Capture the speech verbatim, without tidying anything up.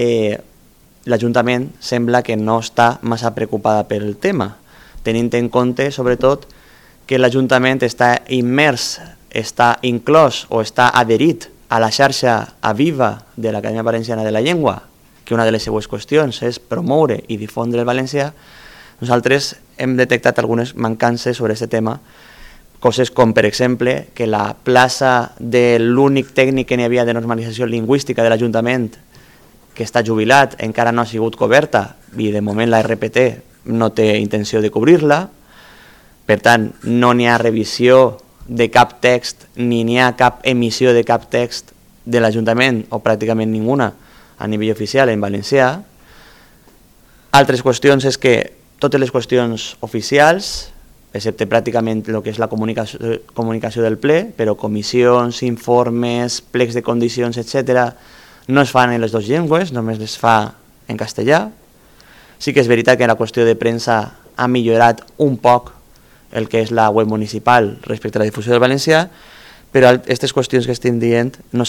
Eh, L'Ajuntament sembla que no està massa preocupada pel tema, tenint en compte, sobretot, que l'Ajuntament està immers, està inclòs o està adherit a la xarxa Aviva de l'Acadèmia Valenciana de la Llengua, que una de les seues qüestions és promoure i difondre el valencià. Nosaltres hem detectat algunes mancances sobre aquest tema, coses com, per exemple, que la plaça de l'únic tècnic que n'hi havia de normalització lingüística de l'Ajuntament, que està jubilat, encara no ha sigut coberta i de moment la R P T no té intenció de cobrir-la. Per tant, no n'hi ha revisió de cap text ni n'hi ha cap emissió de cap text de l'Ajuntament, o pràcticament ninguna, a nivell oficial en valencià. Altres qüestions és que totes les qüestions oficials, excepte pràcticament el que és la comunicació, comunicació del ple, però comissions, informes, plecs de condicions, etcètera, no es fan en les dues llengües, només es fa en castellà. Sí que és veritat que la qüestió de premsa ha millorat un poc el que és la web municipal respecte a la difusió del valencià, però aquestes qüestions que estem dient no s'han